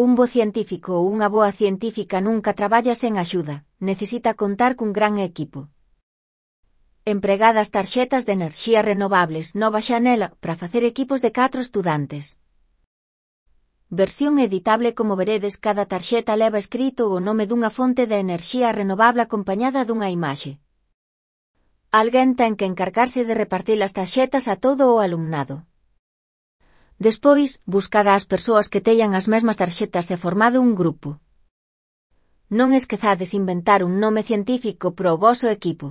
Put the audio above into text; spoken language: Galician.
Un bo científico ou unha boa científica nunca traballa sen axuda, necesita contar cun gran equipo. Empregadas tarxetas de enerxía renovables, nova xanela, para facer equipos de 4 estudantes. Versión editable. Como veredes, cada tarxeta leva escrito o nome dunha fonte de enerxía renovable acompañada dunha imaxe. Alguén ten que encargarse de repartir as tarxetas a todo o alumnado. Despois, buscade as persoas que teñan as mesmas tarxetas e formade un grupo. Non esquezades inventar un nome científico para o voso equipo.